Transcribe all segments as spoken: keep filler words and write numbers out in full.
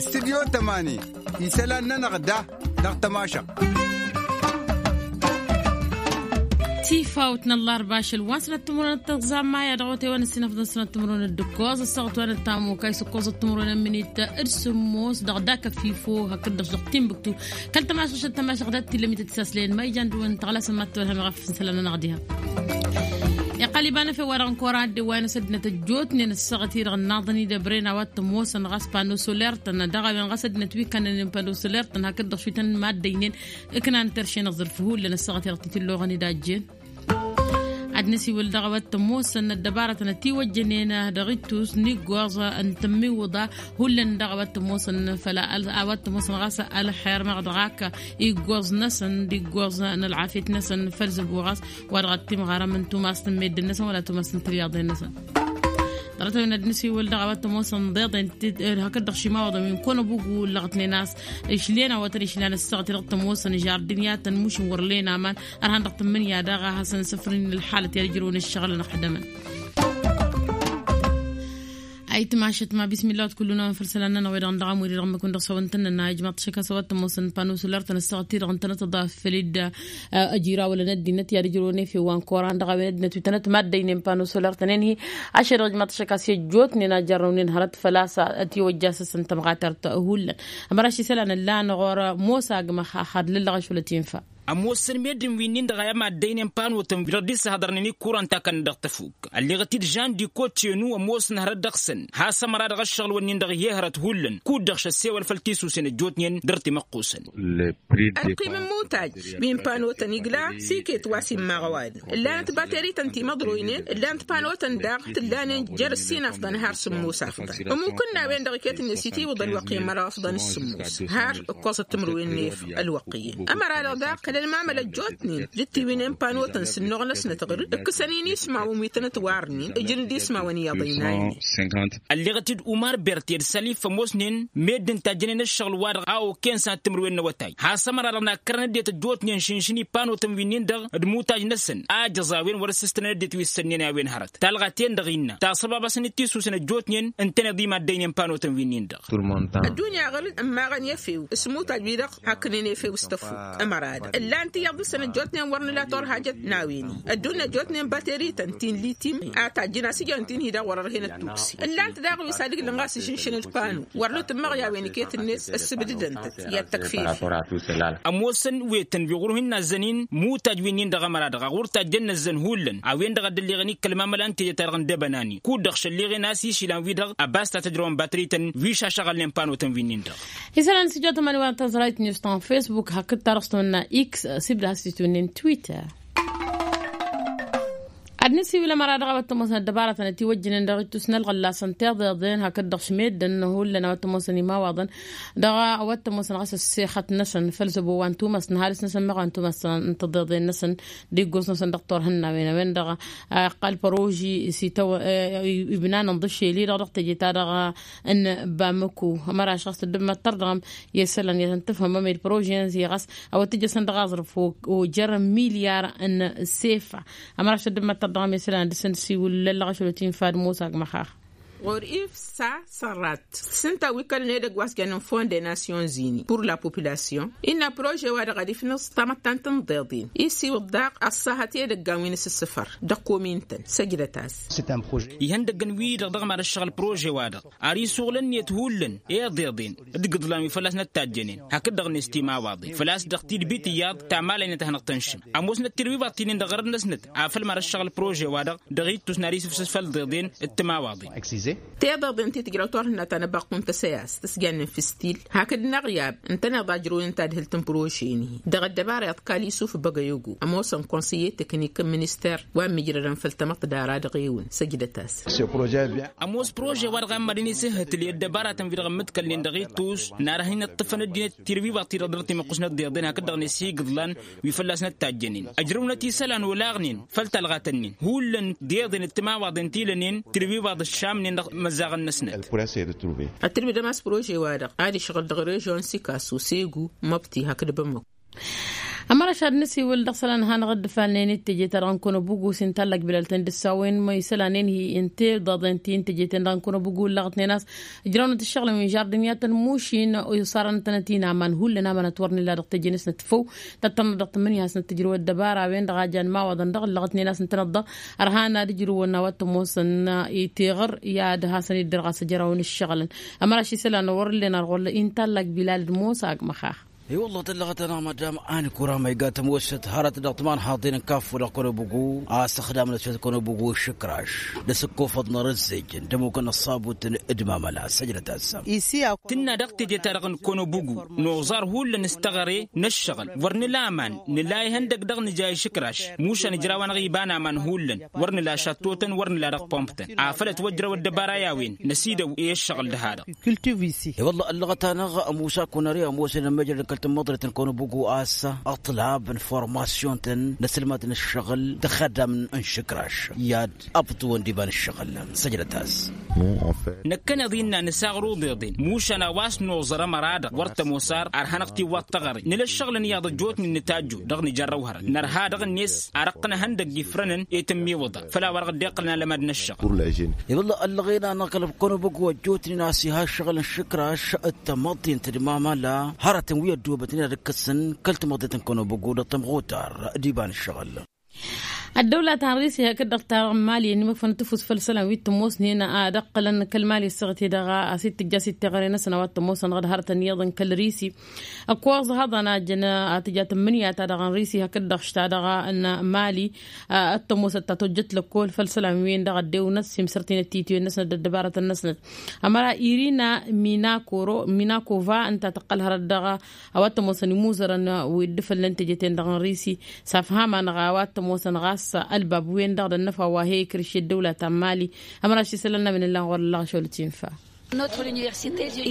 Studyo tămani isălan-nănăɣ da dăɣ-tămašăɣt. Tifawt n-ăllarba ašăl wa n-sănăt timǝrwen d-tăẓẓa n-maya dăɣ-wătewăn ăssinăfḍăn sănăt timǝrwen d-ǝkkoẓ ăssaɣăt wa n-ăttamukay s-ǝkkoẓăt timǝrwen ămminit d-sǝmmos dăɣ-dak ăfifo hakd-dăɣ s-dăɣ timbuktu. Kăl-tămašăɣ šăt tămašăɣ dat-tillămit d-tisaslen ma ijan dăɣ-wăn tăɣlasăn ma t-tăwălhăm iɣaf n-isălan-nănăɣ diha. Iqqăl iba n-efew wa dăɣ-n kora ăddewwayăn s-ăddinăt ăjjootnen ăssaɣăt-i-dăɣ ǝnnaḍăn-i d-ăbren a-wa t-ămoosăn ɣas pano soler-tăn dăɣ-a-wen ɣas ăddinăt wi ǝkkănănen pano soler-tăn hakd-dăɣ šwi tăn-maddăynen. Ǝknan terše n-aẓrǝf hullan ăssaɣăt-i-dăɣ titǝlloɣăn-dd a ăjjeen. Ad-nǝsiwǝl dăɣ-a-wa t-ămoosăn ăddăbarătăn ătiwăjjănen dăɣ-ittus n-iggoẓ n-tămmiwǝḍa. Hullan dăɣ-a-wa t-ămoosăn făl a-wa t-ămoosăn ɣas ălxer meɣ dăɣ-ak iggoẓ-năsăn d-iggoẓ n-ălɣafyăt-năsăn făll-zăbo ɣas wa dăɣ-ăttimɣarăm n-tumast n-meddǝn-năsăn wăla tumast n-tibiyaḍen-năsăn. Dăɣ-tăwen ad-nǝsiwǝl dăɣ-a-wa t-ămoosăn ḍeḍen hakd-dăɣ šimawăḍăn wi n-kănăbugu ǝllăɣătnen a-s išlen a-wa tăn-išlan ăssaɣăt i-dăɣ t-ămoosăn žardin i-ad-tăn mušǝn wăr len aman. Ărhan dăɣ-tǝmmǝnǝya daɣ a hasăn-sǝfrǝn ǝlxalăt i-ad-ǝjrǝwăn ǝššăɣǝlăn ăxdămăn. Ayǝtmašăt ma bismillah wa t-kull-unăwăn făll-isălan-nănăɣ wi-dăɣ n-dăɣ amur-i-dăɣ ǝmmǝk-wǝn dăɣ-săwăn-tăn-nănna ijmaḍ-t ašăk a-s a-wa t-ămoosăn pano soler-tăn ăssaɣăt-i-dăɣ ǝntănăt ăḍaf făll-dd. Ăjrawălăn ăddinăt i-ad-ǝjrǝwăn efew wa n-koran dăɣ-a-wen ăddinăt wi tănăt maddăynen pano soler-tăn-en-hi. Ašăl-dăɣ ijmaḍ-t ašăk a-s i-ăjjootnen a jărrăwnen hărăt făl-a-s ătiwăjja a-s ǝssǝntăm ɣatărt hullan. Ămăraš isălan ǝllan ɣur-mosa agmăx a xad lăllăɣ ašăl ătinfa. Ămoosăn meddǝn wi-nin-dăɣ a i-maddăynen panotăn wi-dăɣ dd-issăhḍărnen ikkuran takănnăt dăɣ-tăfuk. Ălleɣăt-dd žan dikotyenu ămoosăn hărăt dăɣ-săn has-ămăra dăɣ-ăššăɣǝl-wǝnnin-dăɣ i-hărăt hullan kud-dăɣ šăssewăl făll-tisusen ăjjootnen dăr-timăqqusăn. Ălqim n-imutaj wi n-panotăn igla s-iket wa s-immaɣ ăwadǝm. Ǝllanăt baterităn timăḍroynen ǝllanăt panotăn daɣ tǝllanen jer-ǝssin afḍăn har sǝmmos afḍăn. Ămmukǝn n-a-wen-dăɣ iket-net itiwǝḍ ălwăqq i-măraw afḍăn s-sǝmmos har ǝkkoẓăt timǝrwen n-efăw ălwăqq iyyăn. Ămăra-dăɣ daɣ kăl-ălmamăl ăjjootnen d-tiwǝynen panotăn s-ǝnnuɣ-năsnăt ɣǝr-dd ǝkkǝsăn-in ismawăn wi tănăt-warnen ǝjǝn-dd ismawăn iyyăḍ ăynaynen. Ălleɣăt-dd umar berte d-salif ămoosnen meddǝn tajjănen ăššăɣǝl-wa-dăɣ a oken sănăt timǝrwen n-awătay has-ămăra-dăɣ nakkărăn ăddinăt ăjjootnen šǝnšǝn i-panotăn wi-nin-dăɣ d-imutaj-năsăn a ǝjăẓ a-wen wăr-ăssǝstănăn ăddinăt wi ǝssănnen i-a-wen hărăt talɣa-ten-dăɣ innă tasăbabasăn d-tisusăn ăjjootnen ǝntăneḍ imaddăynen panotăn wi-nin-dăɣ. Ăddunya ɣǝr-dd ǝmmaɣăn i-efew s-imutaj-wi-dăɣ hakkănen efew s-tăfuk. Ămăra-dăɣ ǝllan tiyyăḍ dăɣ-săn ăjjootnen wăr nǝla torhajăt n-a-wen-i ăddunya ăjjootnen baterităn ti n-litim a tajjǝn a-s ijăn ti n-hi-dăɣ wăr-ărhen ăttuksi. Ǝllan-t daɣ wi s-ad-ǝglǝn ɣas ǝžǝnšăn d-panu wăr nutǝmmăɣ i-a-wen iket-net ăssǝbdǝdăn-tăt i-ad-tăkfif. Ămoosăn wetăn wi ɣur-hin-nazzăn-in mutaj wi-nin-dăɣ ămăra-dăɣ a ɣur-tajjăn năzzăn hullan a-wen-dăɣ a dd-ălleɣăn i-kăl-mamăla n-tejăt-ta-dăɣ n-debănani kud-dăɣ šălleɣen a-s išilan-wi-dăɣ ăbas ta tăjrăwăn batrăy-tăn wi šašăɣălnen pano-tăn wi-nin-dăɣ. Isălan s-ijot ămani wa n-tăẓrayt news ta n-facebook hakd-ta-dăɣ s-tămănna x sibd has-itwǝnnin twitter. Ad-nǝsiwǝl ămăra-dăɣ a-wa t-ămoosăn ăddăbarătăn ătiwăjjǝnen dăɣ-ittus n-ălɣăllasăn tiḍeḍen hakd-dăɣ šmeddǝn hullan a-wa t-ămoosăn imawaḍăn dăɣ-a-wa t-ămoosăn ɣas ăssexăt-năsăn făll-zăbo wa n-tumăst n-ăhalǝs-năsăn meɣ wa n-tumăst n-tiḍeḍen-năsăn d-iggoẓ-năsăn dăɣ-turhǝnnawen a-wen-dăɣ a iqqal păroži s-itawăn ibnan n-iḍǝššel-i-dăɣ dăɣ-teje-ta-dăɣ n-bamăku. Ămăra šăɣ s-tăddǝmmăt tărdăɣăm i-isălan i-ad-tăn-tǝfhǝmăm i-păroži-năsăn ɣas a-wa t-ǝjjăsăn dăɣ-aẓrǝf ojăr n-milyar n-sefa. Ămăra šăddǝmmăt tărdăɣăm i-isălan dăr-săn d-siwǝl lăllăɣ ašăl otinfa d-musa agmăxax. Ɣur-if sa sărrat s-ǝnta wi kălăn edăgg wa s-jăn n-fond de nations unies pur la population innă prože-wa-dăɣ ad-ifnǝẓ tamăttant n-iḍeḍen isiwǝḍ daɣ ăṣṣahăt edăggan wi n-asǝssǝfăr dăɣ-komin-tăn săjdăt-as. Ihăndăggăn-wi-dăɣ dăɣ-mad-ăššăɣǝl prože-wa-dăɣ ar isuɣǝl ǝnniyăt hullan i-iḍeḍen d-igǝḍlan wi fălla-s năttajjănen hakd-dăɣ-net timawaḍen făl-a-s dăɣ-tidbit iyyăḍ tamalăynăt a hanăɣ-tănšǝm. Ămoosnăt tirwivaḍ ti-nin-dăɣ ɣărăt-năsnăt afăl mad-ăššăɣǝl prože-wa-dăɣ dăɣ-ittus n-ad-isǝfsǝs făll-iḍeḍen d-timawaḍen. Tiḍeḍen ti tǝjrăw turhǝnna ta n-ăbaqq n-tăsăyast s-jannen f-istil hakd n-aɣyab ǝntăneḍ ajrăwăn tadhǝlt n-prože-ni dăɣ-ăddăbara iḍkal isuf băgăyăgo ămoosăn konsăyye teknik n-minister wa n-imǝjrădăn făll-tamăḍt dara dăɣ-ewăn săjdăt-as. Ămoos prože-wa-dăɣ a ămmadăn isǝhhǝtǝl i-ăddăbaratăn wi-dăɣ ǝmmǝḍkălnen dăɣ-ittus n-ad-hin-ǝṭṭǝfăn ăddinăt tirwivaḍ ti-dăɣ dăr-timăqqus n-ăḍḍeḍen hakd-dăɣ n-esigǝḍlan wi fălla-s năttajjănen ăjrăwnăt isălan olaɣnen făll-talɣat-nin hullan d-iḍen d-timawaḍen ti lănen tirwivaḍ ǝššamnen dăɣ-imăzzaɣăn-năsnăt. Ătrǝbdăm a-s prože-wa-dăɣ ad-išɣǝl dăɣ-režion sikasu segu măbti hakd bămmăk. Ămăra šad nǝsiwǝl dăɣ-isălan hanăɣ-dd-ǝfalnen i-teje-ta-dăɣ n-kănobugu s-intallăg bilal-ten d-ǝssawen ma isălanen-hi ǝnta i-dd-aḍen ti n-teje-ten-dăɣ n-kănobugu ǝllăɣătnen a-s ǝjrăwnăt ǝššăɣǝlăn wi žardǝn i-ad-tăn-mušin. Osarăn-tănăt-in aman hullan amanăt wăr nǝla dăɣ-teje-năsnăt făw. Tăttănăt dăɣ-tǝmmǝnǝya a-s năttǝjrăw ăddăbara a-wen-dăɣ a jan imawaḍăn dăɣ-ǝllăɣătnen a-s ǝntănăt-dăɣ ărhan ad-ǝjrǝwăn a-wa t-ămoosăn i-tiɣăr i-ad-hasăn-dd-dăr ɣas ăjrăwăn ǝššăɣǝlăn. Ămăra š-isălan wăr-ǝllen ar ɣur-ălla inta ăllak bilal d-mosa agmăxax. I-wălla tăllăɣăt-anăɣ madam ani kurama iga tămoosăt hărăt dăɣ-timanhaḍen n-kaffu dăɣ-kănobugu a-s ăxdamnăt făll-kănobugu ǝššǝkraš d-asǝkkofăḍ n-arǝzzej n-dămukăn ăṣṣabut n-dd-mamăla săjdăt assam. Tǝnna dăɣ-teje-ta-dăɣ n-kănobugu noẓar hullan s-teɣăre n-ǝššăɣǝl wăr nǝla aman nǝla ihăndăg dăɣ-nǝja išǝkraš mušan ǝjraw-anăɣ iba n-aman hullan wăr nǝla šăttotăn wăr nǝla dăɣ-pomptăn afăl ătwăjrăw ăddăbara i-a-wen năsidăw i-ăššăɣǝl dăɣ-ha-dăɣ. I-wălla ăllăɣăt-anăɣ ămusa kunăre ămoosăn ămăjrăd n-kăl-tǝmmăḍret n-kănobugu a-s ăṭṭălab n-formasyon-tăn n-asǝlmad n-ǝššăɣǝl d-ăxaddam n-išǝkraš i-ad-ăbṭǝwăn d-iba n-ǝššăɣǝl. Săjdăt-as. Năkkăneḍ innă nǝsaɣrǝḍ iḍen mušan a-wa s-noẓăr ămăra-dăɣ wăr tămoos ar ar hanăɣ-tiwwaḍ teɣăre nǝla ǝššăɣǝlăn iyyăḍ ăjjootnen nǝtajju dăɣ-nǝjărrăw hărăt nărha dăɣ-net ar ăqqǝnăhăn dăgg-ifrănăn i-tǝmmiwǝḍa făll-a-wa dăɣ-dd-iqqǝlăn alămad n-ăššăɣ. I-wălla ăllăɣen-anăɣ kăl-kănobogo ăjjootnen a-s iha ǝššăɣǝl n-išǝkraš d-tamăḍt-in tǝdmamăla hărătăn wi ăddoobătnen ad-ǝkkăsăn kăl-tamăḍt n-kănobogo dăɣ-tămɣutar d-iba n-ǝššăɣǝl. Ăddăwla ta n-risi hakd-dăɣ ta n-mali ănimăkfănăt tifus făll-isălan wi t-ămoosnen ad-ǝqqǝlăn kăl-mali ăssaɣăt-i-dăɣ a-s itǝjja s-iteɣăre-năsăn a-wa t-ămoosăn dăɣ-dd-hărătăn iyyăḍ n-kăl-risi. Ăkk wa ăẓhăḍăn a ǝjăn a tǝja tǝmmǝnǝya-ta-dăɣ n-risi hakd-dăɣ š-ta-dăɣ n-mali ăttămosăt ta tojjăt lăkkol făll-isălan-wen-dăɣ ăddewnăt s-imsărtinăt titwen-năsnăt d-ăddăbarătăn-năsnăt. Ămăra irina minakova ǝnta tăqqăl hărăt dăɣ-a-wa t-ămoosăn imuzărăn wi dd-făllăn teje-ten-dăɣ n-risi s-afham-anăɣ a-wa t-ămoosăn ɣas ălbab-wen-dăɣ d-ănnăfa wa he-ikrǝš i-ăddăwla ta n-mali. Ămăra š-isălan n-amin ǝllan ɣur-ăllăɣ ašăl tinfa.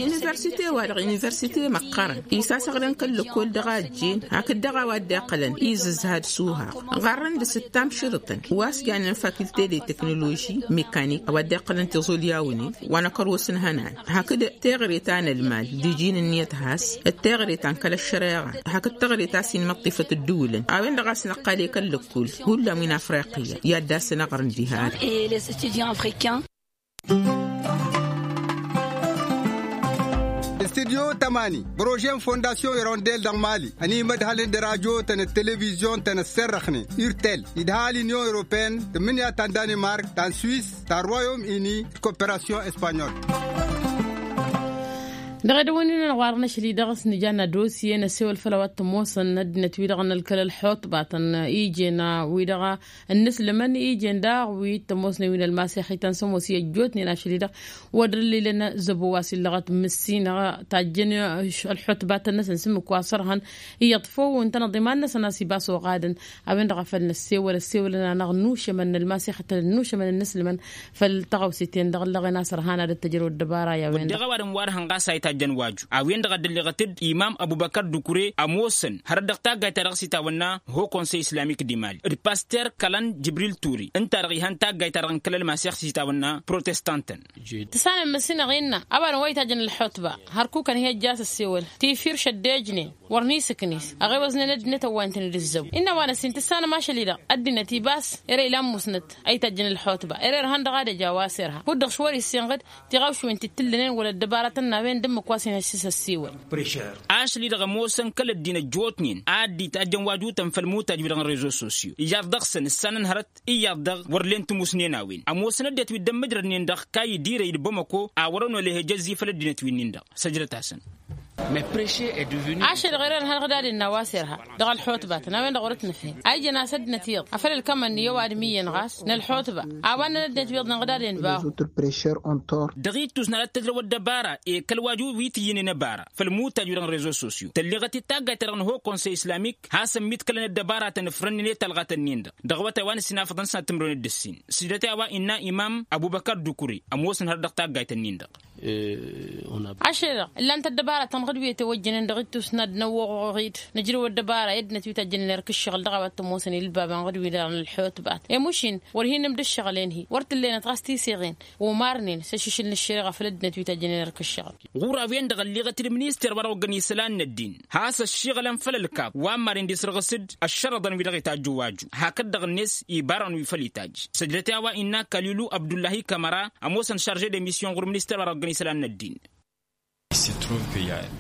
Universite-wa-dăɣ universite măqqărăn isasăɣlăn kăl-lăkkol dăɣ-a ăjjeen hakd dăɣ-a-wa dd-iqqălăn izǝzha d-suhaɣ. Ɣarrăn d-sǝttam šărǝtăn wa s-jannen faculté de technologie mécanique a-wa dd-iqqălăn tiẓulyawnen wa n-ăkăros n-ihănan hakd teɣăre ta n-ălmal d-iji n-ǝnniyăt has d-teɣăre ta n-kăl-ăššăreɣa hakd teɣăre ta s-inmăṭṭifăt ǝddǝwǝlăn a-wen-dăɣ a-s năqqal i-kăl-lăkkol hullan wi n-afriqiyya i-ad-dd-asăn aɣrǝn diha-dăɣ. Studyo tămani prože n-fondasyon irondel dăɣ-mali ănimădhălăn d-radyo-tăn d-televizyon-tăn ăsserrăxnen urtel idha l-inyon europene tǝmmǝnǝya ta n-danimark ta n-swis ta n-royaume uni d-koperasyon espanyol. Dăɣ-edăwăn-in-nănăɣ wa dăɣ-năšli dăɣ-s nǝjanna dosye n-ăssewăl făll-a-wa t-ămoosăn ăddinăt-wi-dăɣ n-ălkăl ălxuṭbatăn ijen wi-dăɣ ănnăslămăn ijen daɣ wi t-ămoosnen wi n-ălmasixităn s-ămoos i-ăjjootnen ašăl-i-dăɣ wăr dd-ǝllilăn zăbo wa s-illăɣăt mǝssinăɣ tajjăn ălxuṭbatăn-năsăn s-ǝmmǝk wa s-ărhăn iyyăḍ făw ǝntănăḍ iman-năsăn a-s ibas oɣadăn. A-wen-dăɣ a făl năssewăl ăssewălăn-anăɣ n-ušămăn n-ălmasixătăn n-ušămăn n-inǝslǝmăn făll-tăɣawse-ten-dăɣ ǝllăɣen a-s ărhan ad-ăttăjrăw ăddăbara i-a-wen-dăɣ. Ăddăɣ ăwadǝm wa dăɣ-hăn ɣas a itajjăn waju a-wen-dăɣ a dd-ălleɣăt-dd imam ăbubăkăr dukure ămoosăn hărăt dăɣ-taggayt-ta-dăɣ s-itawănna ho konsey islamik d-imali d-paster kălăn jibril ture ǝnta-dăɣ ihăn taggayt-ta-dăɣ n-kăl-ălmasix s-itawănna protestantăn. Tǝssanăm măssinăɣ innă ăwadǝm wa itajjăn ălxutba hărkukăn hi-ăjja a-s ăssewăl tifir šăddejnen wăr nisǝknis ăɣewăẓnen ăddinăt ăwwayăn-tăn-dd ǝzzăw. Innă wa n-ăssin tǝssanăm ašăl-i-dăɣ ăddinăt ibas ere ila ămmusnăt a itajjăn ălxutba ere ărhăn dăɣ-ad-ăj a-wa s-irha kud-dăɣ š-wăr-issinɣǝd tiɣawšwen ti t-ǝllănen wăla ăddăbarătăn n-a-wen d-ǝmmǝk wa s-inhăššǝs ăssiwăl. Ašăl-i-dăɣ ămoosăn kăl-ăddin ăjjootnen a dd-itajjăn wa jutăn făll-mutaj-wi-dăɣ n-rezo sosyo iyyăḍ dăɣ-săn ǝssanăn hărăt iyyăḍ dăɣ-wăr len tǝmusnen a-wen ămoosăn ăddinăt wi dd-ămmǝjrădnen dăɣ-kayy d-irăy d-bamăko a wăr-ănolăh ejăzzi făll-ăddinăt wi-nin-dăɣ. Săjdăt-asăn. Ašăl-i-dăɣ ere ărhăn ăɣdaden n-a-wa s-irha dăɣ-ălxutbatăn a-wen-dăɣ wăr-ătnăfhel a ijăn a-s ăddinăt iyyăḍ afăl ǝlkămăn iyyăw adǝm iyyăn ɣas n-ălxutba a-wa ǝnnăn ăddinăt wi iyyăḍnen ăɣdaden bahu. Dăɣ-ittus n-ad-tăjrăw ăddăbara i-kăl-waju wi tǝyyǝnen ăbara făll-mutaj-wi-dăɣ n-rezo sosyo tălleɣăt-dd taggayt-ta-dăɣ n-ho konsey islamik hasăn-mitkălăn ăddăbaratăn ǝfrănnen i-talɣat-ǝnnin-dăɣ dăɣ-awătay wa n-ǝssin afăḍăn s-ad-tǝmrăwnen d-ǝssin. Sǝjdăt i-a-wa innă imam ăbubăkăr dukure ămoosăn hărăt dăɣ-taggayt-ǝnnin-dăɣ. Ašăl-dăɣ ǝllan-t ăddăbara tănɣăd wi ătwăjjănen dăɣ-ittus n-ad-năwwăɣ-ɣid nǝjrăw ăddăbara i-ăddinăt wi tajjănen erk ǝššăɣǝl dăɣ-a-wa t-ămoosăn ilbabăn ɣǝd-wi-dăɣ n-ălḥotbat i-mušin wăr hin-nǝmdă ǝššăɣǝl-en-hi wăr t-ǝllenăt ɣas tiseɣen. Omarnen s-ašǝšǝl n-ăššăreɣa făll-ăddinăt wi tajjănen erk ǝššăɣǝl. Ɣur-a-wen-dăɣ ălleɣăt-dd minister wa dăɣ-ăgg-ănisălan n-ăddin has-a ăššiɣălăn făll-ălkaḍ wa n-maren d-isrăɣǝs-dd ăššărăḍăn wi dăɣ-itajj ăwaju hakd-dăɣ-net ibarăn wi făll-itajj. Săjdăt i-a-wa innă kalilu abdullahi kamăra ămoosăn šarže d-emisyon ɣur-minister wa dăɣ-ăgg-ănisălan n-ăddin.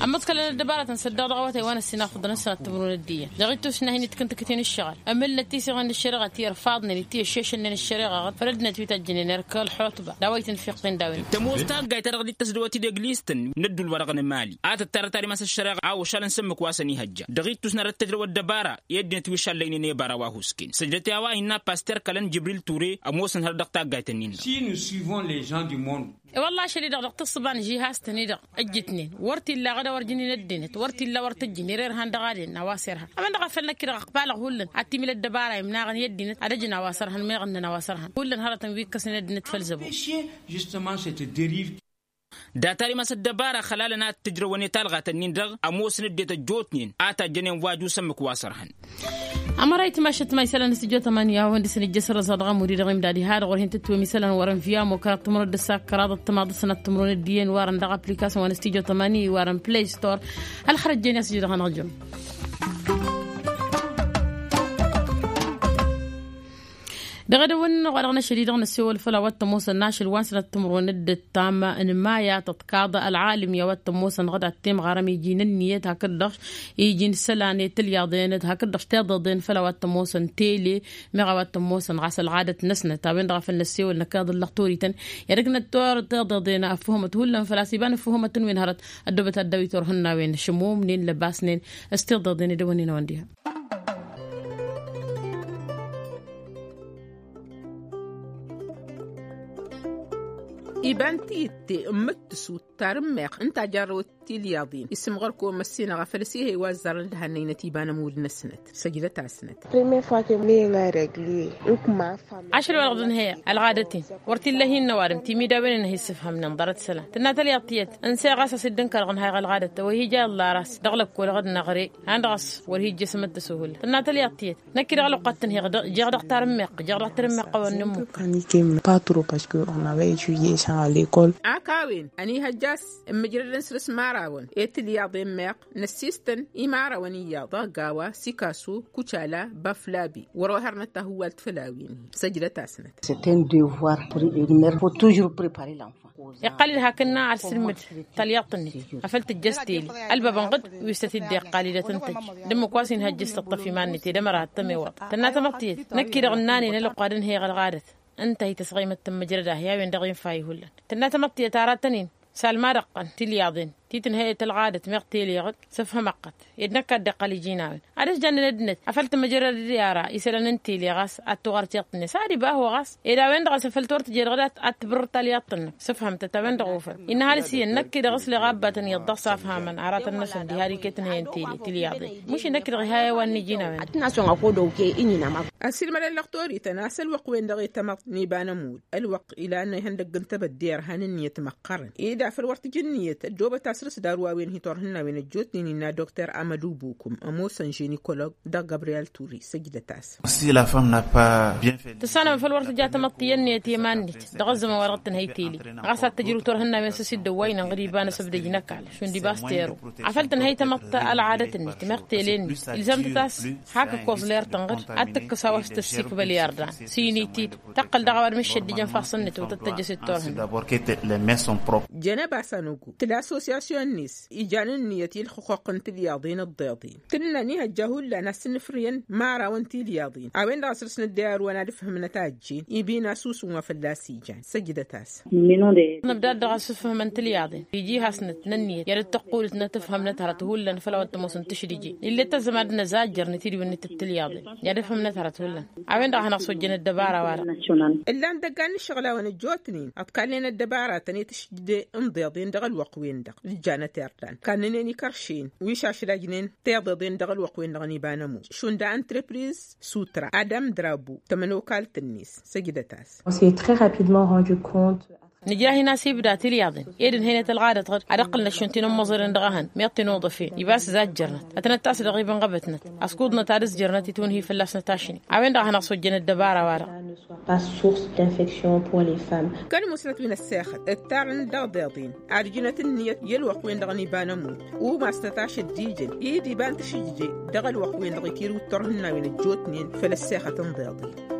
Ămmăḍkălăn ăddăbarătăn săddaɣ dăɣ-awătay wa n-ăssinafăḍăn ăssinat timǝrwen d-iyyăn dăɣ-ittus n-ahin itkǝntǝkǝt-in ǝššăɣǝl ămǝlnăt tiseɣen d-ăššăreɣa ti ărfaḍnen ti ăššešălnen ăššăreɣa făll-ăddinăt wi tăjjǝnen erk ălxotba d-a-wa itǝnfiqqen d-a-wen. Tămoos taggayt-ta-dăɣ dd-tăsdăwăt d-eglist-tăn n-ădduul-wa-dăɣ n-emali a tǝttarăt ad-imas ăššăreɣa a ošalăn s-ǝmmǝk wa s-ănihăjja dăɣ-ittus n-ad-ăttăjrăw ăddăbara i-ăddinăt wi šallăynen i-ebara wa husken săjdăt i-a-wa innă paster kălăn jibril ture ămoosăn hărăt dăɣ-taggayt-nin-dăɣ. Si nu suivon les gens du monde. I-wălla ašăl-i-dăɣ dăɣ-tǝssǝba n-žihaz-tăn-i-dăɣ ǝjjǝtnen wăr t-illa aɣăd a wăr jǝnin ăddinăt wăr t-illa wăr tǝjjǝn ere irhan dăɣ-adǝn a-wa s-irhan. Amăn-dăɣ a făl năkk-i-dăɣ ăqbaleɣ hullan ad-t-imǝl ăddăbara imnaɣăn i-ăddinăt ad-ăjǝn a-wa s-ărhăn meɣ ǝnnăn a-wa s-ărhăn hullan hărătăn wi ǝkkăsnen ăddinăt făll-zăbo. Data-dd imas ăddăbara ăxălalăn ad-t-ǝjrăwăn i-talɣat-ǝnnin-dăɣ ămoosăn ăddinăt ăjjootnen a tajjănen waju s-ǝmmǝk wa s-ărhăn. Ămăra itmašăt ma isălan s-ijot ămani a-wen dăɣ-săn ijjăsărăẓ a dăɣ-amud-i-dăɣ imdad iha-dăɣ wăr hin-tǝtwem isălan wăr-ănviya mokar tǝmrăd d-ăssakkăraḍ ăttămaḍ d-sănat tǝmrăd d-iyyăn warăn dăɣ-application wa n-s-tijot ămani warăn play store. Ălxărăt jen i-asǝjǝdăɣ-anăɣ jăm. Dăɣ-edăwăn-nănăɣ wa dăɣ-năšăl-i-dăɣ năssewăl făll-a-wa t-ămoosăn n-ašăl wa n-sănat timrăwăn d-ǝttam n-maya tăḍkaḍ ălɣalǝm i-a-wa t-ămoosăn ɣǝd ad-t-imɣarăm iji n-ǝnniyăt hakd-dăɣ iji n-isălan i-tǝlyaḍen d-hakd-dăɣ tiḍeḍen făll-a-wa t-ămoosăn tele. Meɣ a-wa t-ămoosăn ɣas ălɣadăt-năsnăt a-wen-dăɣ a făl năssewăl năkk iḍǝllăɣ toriten i-ad-ǝknăt tiḍeḍen ăffuhămăt hullan făl-a-s iba n-ăffuhămăt n-wen hărăt. Ăddoobăt ad-dăw-i turhǝnnawen šămumnen lăbasnen s-tiḍeḍen edăwănnen a-wen diha. Iba n-tiyyǝtte n-mǝttǝsut tarǝmmeɣt ǝnta a jarrăwăt tilyaḍin isǝmɣăr-kăwăn măssinăɣ a făl ăsihăy wa ăzzarăn d-hannăynăt iba n-ămudd-năsnăt. Săjdăt-asnăt. Ašăl wa dăɣ-dănhăyăɣ ălɣadăt-in wăr t-illa hin-năwadǝm timidawen-in-hi ǝssǝfhămnen ḍarăt isălan tǝnna talyaḍt tiyyăt. Ǝnseɣ ɣas a-s dd-ǝnkărăɣ ǝnhayăɣ ălɣadăt a-wa hi-ja iḍla ăras dăɣ-lăkkol ɣǝd-năɣre han-dăɣ a-s wăr hi-ǝjjăsăm d-tăsuhullăt tǝnna talyaḍt tiyyăt. Năkk-i-dăɣ ălwăqq ad-tǝnhăyăɣ jeɣ dăɣ-tarǝmmeɣt jeɣ dăɣ-tarǝmmeɣt a-wa n-nǝmmuk. Pas trop parce que on avait étudié ça à l'école. Ak a-wen ănihăjja a-s ǝmmǝjrădăn săr-s imărawăn i-tǝlyaḍen meɣ năssiistăn imărawăn iyyăḍ ăgg-a-wa sikasu kucala baflabi wăr-ohărnăt tahǝwwalt făll-a-wen-hi. Săjdăt-asnăt. C'est un devoir primaire, faut toujours préparer l'enfant. Iqqăl-dd hakd-năɣ ad-sǝlmǝd talyaḍt-net afăl tǝjjăš tele ălbabăn ɣǝd wi s-tăt-dd-iqqal-dd ad-tăn-tăjj d-ǝmmǝk wa s-inhăjj s-tǝṭṭăf iman-net ed ămăra ad-tămewăḍ. Tǝnna tamăḍt tiyyăt năkk-i-dăɣ ǝnnanen ălwăqq ad-ǝnhăyăɣ ălɣadăt ǝnta a hi-tăsɣăymăt tǝmmǝjrăd-ahi a-wen-dăɣ infa ihullan. Tǝnna tamăḍt tiyyăt aratăn-in salma dăɣ-tăn tilyaḍen ti tǝnhăyăt ălɣadăt meɣ tele ɣǝd sǝfhăm ăqqăt ed năkk ad-dd-iqqăl iji n-a-wen ad-ăjjannen ăddinăt afăl tǝmǝjrăd i-ara isălan n-tele ɣas ad-tuɣăr tiḍt-net ad-iba a-hu ɣas ed a-wen-dăɣ a-s afăl tor tǝjed ɣǝd ad-tibǝrrǝd talyaḍt-năk. Sǝfhăm-tăt a-wen-dăɣ ofăn innă ăhalǝs iyyăn năkk-i-dăɣ ǝsleɣ abbatăn iyyăḍ dăɣ-s afhamăn aratăn-năsăn diha d-iket ǝnhăyăn tele tilyaḍen. Mušin năkk-i-dăɣ iha i-a-wa n-iji n-a-wen. Ad-t-nasăn ăkod okey. Ǝnnin-amăɣ. Ăssilmădăn lăxtorităn a-s ălwăqq-wen-dăɣ i-tamăḍt n-iba n-ămudd ălwăqq ilan ihăndăgg n-tebădde ărhan ǝnniyăt măqqărăn ed afăl wăr t-ǝja ǝnniyăt ăddoobăt asrǝs d-arwawen hi-turhǝnnawen ăjjootnen innă dokter amădu bukum ămoosăn ženikolog dăɣ-gabriyel turi săjdăt-as. Tǝssanăm afăl wăr tǝja tamăḍt i-ǝnniyăt i-iman-net dăɣ-ăzzăman wa dăɣ-tǝnhăy tele ɣas ad-tǝjrǝw turhǝnnawen s-ăsidăwwăynăn ɣǝd iba n-asǝbdăj n-ăkall šund iba s-teru afăl tǝnhăy tamăḍt ălɣadăt-net meɣ tele-net ilzam-tăt a-s hak ǝkkoẓ ler-tăn ɣǝd ad-tǝkkǝs a-wa s-tăssikbăl i-ărdan s-init-dd tăqqăl dăɣ-a-wa d-mǝššăddǝjăn fassăn-net wa tăt-tăjjăs d-turhǝnna. Jănăba s-anăgu tǝla assosyasyon-net ijan ǝnniyăt i-ǝlxǝqquq n-tilyaḍen ǝḍḍeḍen tǝnnăn ihăjja hullan ad-sǝnnǝfrǝyăn imărawăn tilyaḍen a-wen-dăɣ a săr-s nǝddey arǝwăn ad-ǝfhǝmnăt a ăjjeen ibi n-asusǝm wa fălla-s ijan. Săjdăt-as. Nǝbdad dăɣ-a-s ǝfhǝmăn tilyaḍen iji hasnăt n-ǝnniyăt i-ad-dd-tăqqulǝtnăt ǝfhǝmnăt hărăt hullan făll-a-wa t-ămoosăn tǝšdǝje. Ill'-e tăzzămad n-ăzajjăr n-tidǝwǝnnǝt d-tilyaḍen i-ad-ǝfhǝmnăt hărăt hullan. A-wen-dăɣ a hanăɣ-sojjăn ăddăbara-wa-dăɣ. Ǝllan dăggan n-ǝššăɣǝl-awăn ăjjootnen ăḍkallnen ăddăbaratăn i-tǝšdǝje n-iḍeḍen dăɣ-ălwăqq-wen-dăɣ d-ǝjjanăt irdan kannănen ikăršen wi šašlajnen tiḍeḍen dăɣ-ălwăqq-wen-dăɣ n-iba n-ămudd šund a ăntrepriz sutra adam drabu tămănokalt-net. Săjdăt-as. On s'est très rapidement rendu compte. Nǝja hin-asibda tilyaḍen ed ǝnhăynăt ălɣadăt ɣǝd ad-ăqqǝlnăt šund ti n-ămmoẓăren dăɣ-ehăn meɣ ti n-uḍăfen ibas ǝzajjărnăt. Ătnăt-tasdăɣ ibǝnɣăbătnăt ăskudnăt ad-ǝzjărnăt itwǝnhǝy fălla-snăt ašni. A-wen-dăɣ a hanăɣ-sojjăn ăddăbara-wa-dăɣ. Source d'infection pour les femmes. Kăl-musnăt wi n-ăssexăt ǝttarăn dăɣ-deḍen ad-ǝjnăt ǝnniyăt i-ălwăqq-wen-dăɣ n-iba n-ămut umasnăt ašăddijăn i-dd iba n-tǝšǝjje dăɣ-ălwăqq-wen-dăɣ itirǝw d-turhǝnnawen ăjjootnen făll-ăssexăt n-deḍen.